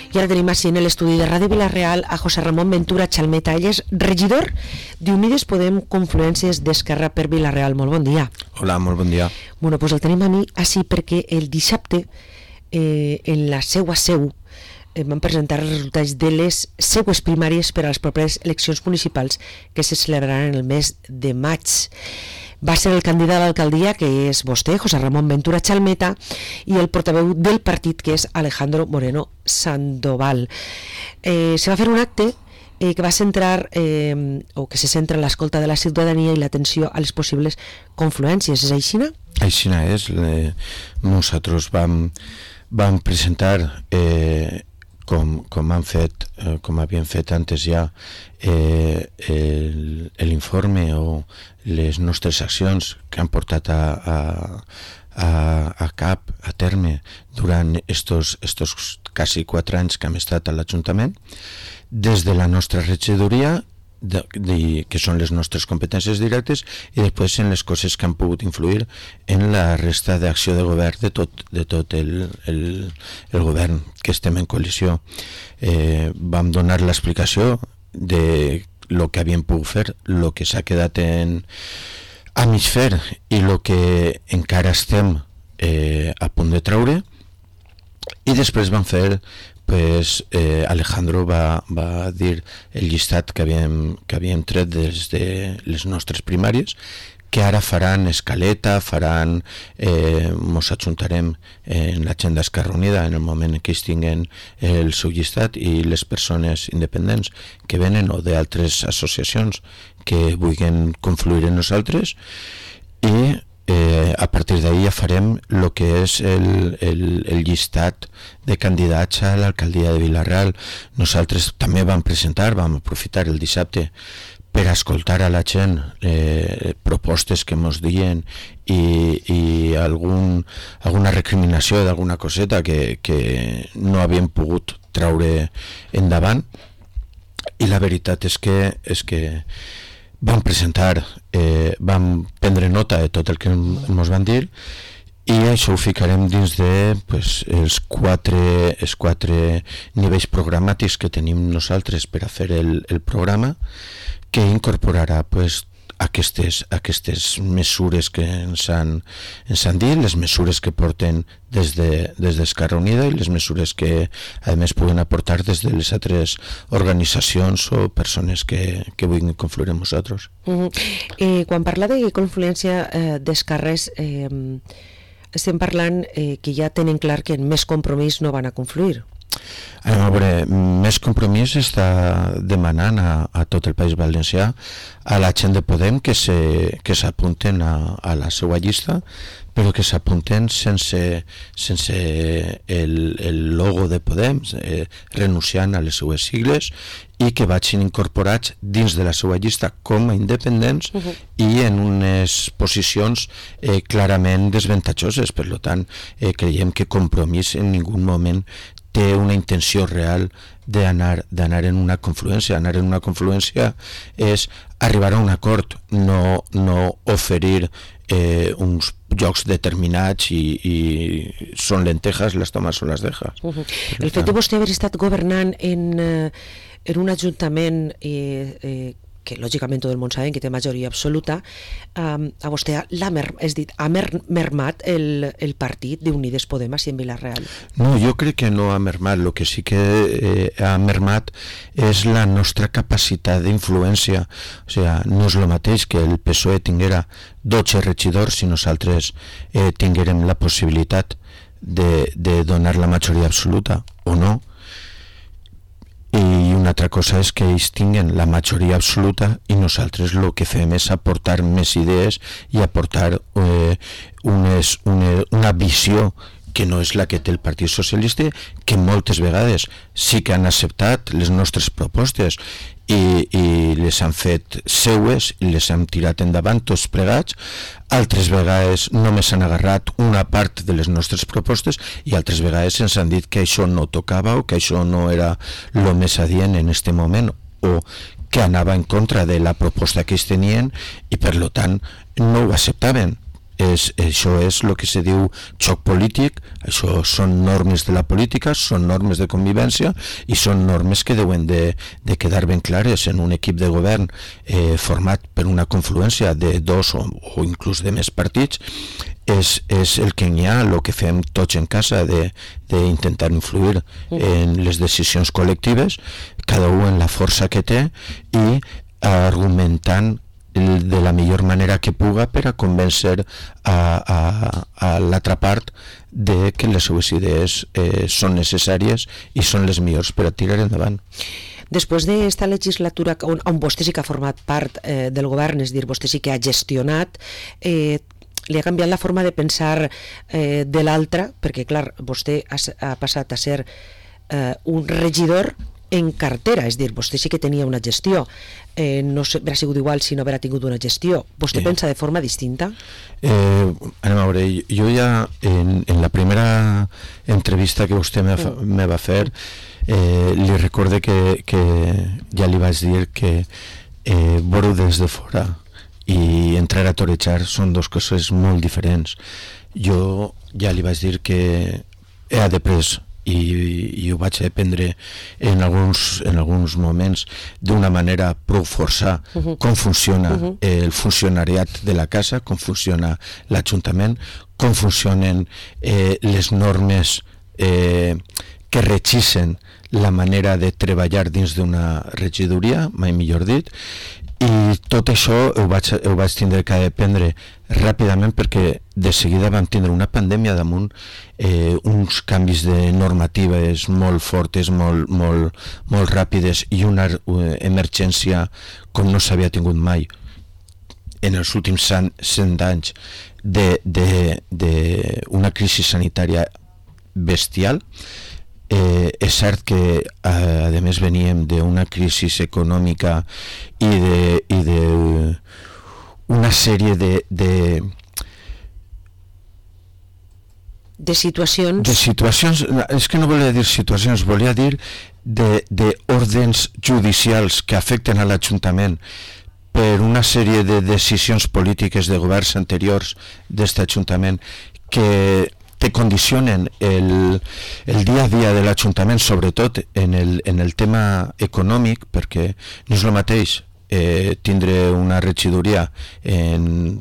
I ara tenim així en l'estudi de Ràdio Vila-real a José Ramon Ventura Chalmeta. Ell és regidor d'Unides Podem Confluències d'Esquerra per Vila-real. Molt bon dia. Hola, molt bon dia. Bueno, pues el tenim a mi així perquè el dissabte en la seua seu van presentar els resultats de les seues primàries per a les properes eleccions municipals que se celebraran el mes de maig. Va ser el candidat a l'alcaldia, que és vostè, José Ramon Ventura Chalmeta, i el portaveu del partit, que és Alejandro Moreno Sandoval. Se va fer un acte que va centrar, o que se centra en l'escolta de la ciutadania i l'atenció a les possibles confluències. És aixina? Aixina és. Nosaltres vam presentar, com havien fet antes ja, l'informe o les nostres accions que han portat a terme durant estos quasi 4 anys que hem estat a l'Ajuntament, des de la nostra regidoria, que són les nostres competències directes, i després en les coses que han pogut influir en la resta d'acció de govern de tot el govern que estem en coalició. Vam donar l'explicació de lo que havíem pogut fer, lo que s'ha quedat a mig fer i lo que encara estem a punt de treure, i després vam fer, Alejandro va dir el llistat que havíem tret des de les nostres primàries, que ara faran escaleta, mos ajuntarem en l'agenda Esquerra Unida en el moment en què es tinguen el seu llistat, i les persones independents que venen o d'altres associacions que vulguin confluir en nosaltres, i a partir d'ahir ja farem el que és el llistat de candidats a l'alcaldia de Vila-real. Nosaltres també vam aprofitar el dissabte per escoltar a la gent propostes que ens diuen i alguna recriminació d'alguna coseta que no havíem pogut treure endavant, i la veritat és que vam presentar, vam prendre nota de tot el que ens van dir, i això ho ficarem dins de els quatre nivells programàtics que tenim nosaltres per a fer el programa, que incorporarà aquestes mesures que ens han dit, les mesures que porten des d'Esquerra Unida i les mesures que a més puguen aportar des de les altres organitzacions o persones que vulguin confluir amb nosaltres. Quan parla de confluència d'esquerres, estem parlant que ja tenen clar que en Més Compromís no van a confluir. A veure, Més Compromís està demanant a tot el País Valencià, a la gent de Podem, que s'apunten a la seva llista, però que s'apunten sense el logo de Podem, renunciant a les seues sigles, i que vagin incorporats dins de la seva llista com a independents i en unes posicions clarament desavantatjoses. Per tant, creiem que Compromís en ningú moment té una intenció real d'anar en una confluència. Anar en una confluència és arribar a un acord, no oferir uns llocs determinats i són lentejas, les tomas o les dejas. El fet de vostè haver estat governant en un ajuntament que lògicament tot el món sabem que té majoria absoluta, a vostè ha mermat el partit d'Unides Podem així en Vila-real? No, jo crec que no ha mermat. El que sí que ha mermat és la nostra capacitat d'influència. O sigui, no és el mateix que el PSOE tinguera 12 regidors si nosaltres tinguérem la possibilitat de donar la majoria absoluta o no. I una altra cosa és que ells tinguen la majoria absoluta i nosaltres el que fem és aportar més idees i aportar una visió que no és la que té el Partit Socialista, que moltes vegades sí que han acceptat les nostres propostes i les han fet seues i les hem tirat endavant tots plegats. Altres vegades només han agarrat una part de les nostres propostes i altres vegades ens han dit que això no tocava o que això no era el més adient en aquest moment o que anava en contra de la proposta que ells tenien i per tant no ho acceptaven. Això és el que se diu xoc polític, això són normes de la política, són normes de convivència i són normes que deuen de quedar ben clares en un equip de govern format per una confluència de dos o inclús de més partits. És el que hi ha, el que fem tots en casa d'intentar influir en les decisions col·lectives, cada un en la força que té i argumentant de la millor manera que puga per a convèncer a l'altra part de que les seues idees són necessàries i són les millors per a tirar endavant. Després d'esta legislatura on vostè sí que ha format part del govern, és dir, vostè sí que ha gestionat, li ha canviat la forma de pensar de l'altre, perquè clar, vostè ha passat a ser un regidor en cartera, és dir, vostè sí que tenia una gestió, no haurà sigut igual si no haurà tingut una gestió. Vostè pensa de forma distinta? Anem a veure, jo ja en la primera entrevista que vostè me va fer li recorde que ja li vaig dir que veure des de fora i entrar a torejar són dues coses molt diferents. Jo ja li vaig dir que he après i ho vaig aprendre en alguns moments d'una manera prou forçar com funciona el funcionariat de la casa, com funciona l'Ajuntament, com funcionen les normes que regeixen la manera de treballar dins d'una regidoria, mai millor dit, i tot això ho vaig tindre que aprendre ràpidament perquè de seguida vam tindre una pandèmia damunt, uns canvis de normatives molt fortes, molt ràpides i una emergència com no s'havia tingut mai en els últims 100 anys d'una crisi sanitària bestial. És cert que a més veníem d'una crisi econòmica i d'una sèrie de situacions, és que no volia dir situacions, volia dir d'ordens judicials que afecten a l'Ajuntament per una sèrie de decisions polítiques de governs anteriors d'aquest Ajuntament que te condicionen el dia a dia de l'Ajuntament, sobretot en el tema econòmic, perquè no és el mateix tindre una regidoria en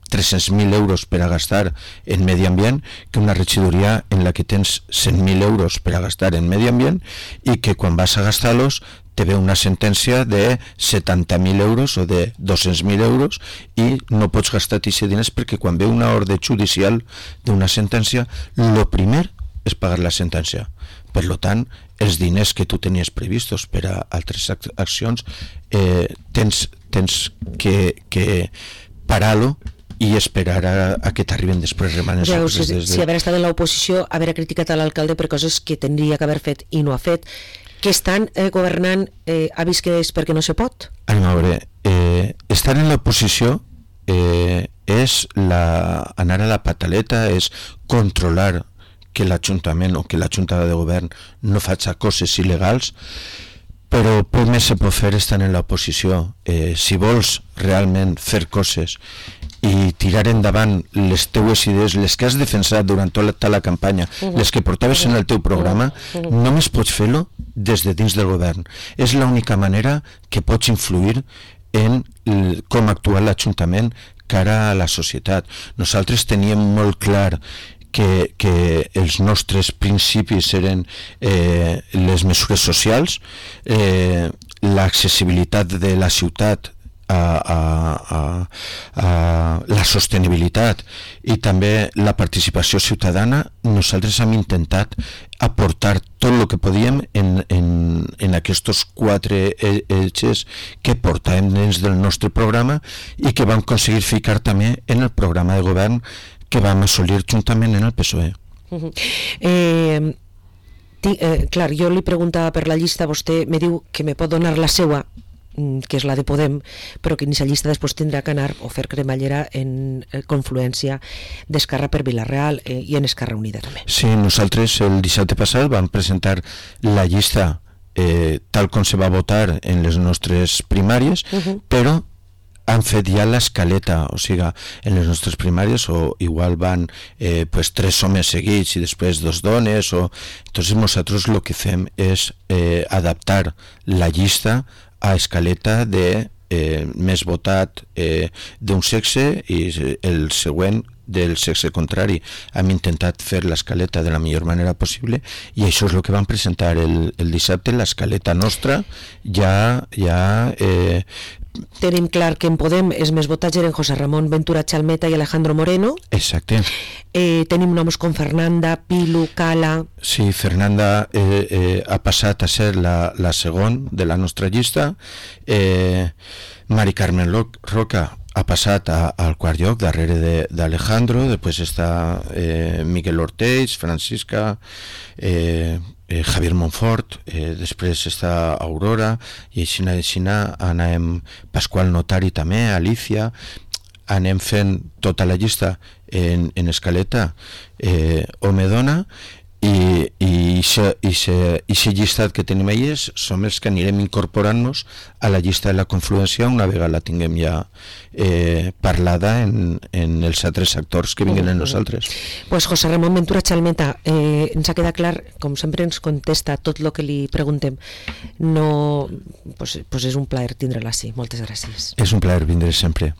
300.000 euros per a gastar en medi ambient que una regidoria en la que tens 100.000 euros per a gastar en medi ambient i que quan vas a gastar-los te ve una sentència de 70.000 euros o de 200.000 euros i no pots gastar aquests diners perquè quan ve una ordre judicial d'una sentència, el primer és pagar la sentència. Per tant, els diners que tu tenies previstos per a altres accions tens que parar-lo i esperar a que t'arriben després remanes. Si haver estat en l'oposició, haver criticat a l'alcalde per coses que tindria que haver fet i no ha fet, que estan governant, ha vist que és perquè no se pot? Anem a veure, estar en l'oposició és anar a la pataleta, és controlar que l'Ajuntament o que la Junta de Govern no faci coses il·legals, però poc més se pot fer estant en l'oposició. Si vols realment fer coses i tirar endavant les teues idees, les que has defensat durant tota la campanya, les que portaves en el teu programa, només pots fer-lo des de dins del govern. És l'única manera que pots influir en com actua l'Ajuntament cara a la societat. Nosaltres teníem molt clar que els nostres principis eren les mesures socials, l'accessibilitat de la ciutat a la sostenibilitat i també la participació ciutadana. Nosaltres hem intentat aportar tot el que podíem en aquests 4 eixos que portàvem dins del nostre programa i que vam aconseguir ficar també en el programa de govern que vam assolir juntament en el PSOE. Clar, jo li preguntava per la llista, vostè me diu que me pot donar la seua, que és la de Podem, però que en aquesta llista després tindrà que anar o fer cremallera en confluència d'Esquerra per Vila-real i en Esquerra Unida també. Sí, nosaltres el dissabte passat vam presentar la llista tal com se va votar en les nostres primàries, però han fet ja l'escaleta, o sigui, en les nostres primàries, o igual van pues 3 homes seguits i després 2 dones, o... Entonces nosaltres lo que fem és adaptar la llista a escaleta de més votat d'un sexe i el següent del sexe contrari. Hem intentat fer l'escaleta de la millor manera possible i això és el que vam presentar el dissabte, l'escaleta nostra ja tenim clar que en Podem els més votats eren José Ramón Ventura Chalmeta i Alejandro Moreno. Exacte. Tenim noms com Fernanda, Pilu, Cala... Sí, Fernanda ha passat a ser la segon de la nostra llista. Mari Carmen Roca ha passat al quart lloc darrere d'Alejandro, després està Miguel Ortiz, Francisca, Javier Monfort, després està Aurora, i així anem Pasqual Notari també, Alicia, anem fent tota la llista en escaleta home-dona, i aquest llistat que tenim allà som els que anirem incorporant-nos a la llista de la confluència una vegada la tinguem ja parlada en els altres actors que vinguen en nosaltres. Pues José Ramón Ventura Chalmeta, ens ha quedat clar, com sempre ens contesta tot el que li preguntem. No, pues és un plaer tindre-la així. Moltes gràcies. És un plaer vindre sempre.